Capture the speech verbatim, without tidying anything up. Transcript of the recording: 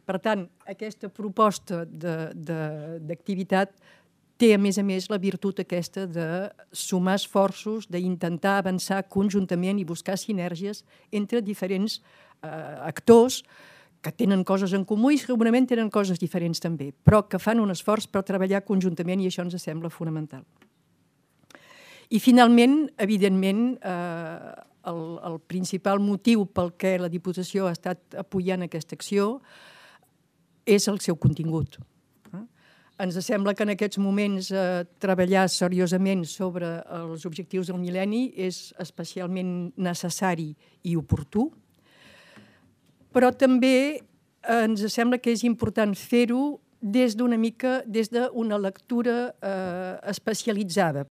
Per tant, aquesta proposta d'activitat té, a més a més, la virtut aquesta de sumar esforços, d'intentar avançar conjuntament i buscar sinergies entre diferents eh, actors que tenen coses en comú i segurament tenen coses diferents també, però que fan un esforç per treballar conjuntament i això ens sembla fonamental. I finalment, evidentment, eh, el, el principal motiu pel què la Diputació ha estat apoyant aquesta acció és el seu contingut. Ens sembla que en aquests moments eh, treballar seriosament sobre els objectius del mil·lenni és especialment necessari i oportú, però també ens sembla que és important fer-ho des d'una mica, des d'una lectura eh, especialitzada,